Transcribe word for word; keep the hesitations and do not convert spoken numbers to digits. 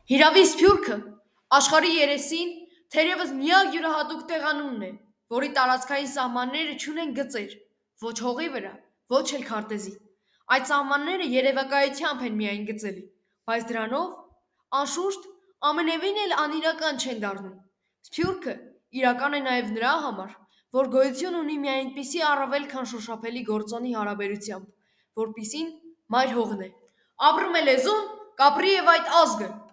Հիրավի սփյուռքը աշխարհի երեսին թերևս միակ յուրահատուկ տեղանունն է, որի տարածքային սահմանները չունեն գծեր, ոչ հողի վրա, ոչ էլ քարտեզի։ Այդ սահմանները երևակայությամբ են միայն գծելի, բայց դրանով, անշուշտ, ամենևին էլ անիրական չեն դառնում։ Սփյուռքը իրական է նաև նրա համար, որ գոյություն ունի մի այնպիսի առավել քան շոշափելի գործոնի հարաբերությամբ, որպիսին մայր հողն է։ Ապրում է լեզուն, կապրի և այդ ազգը։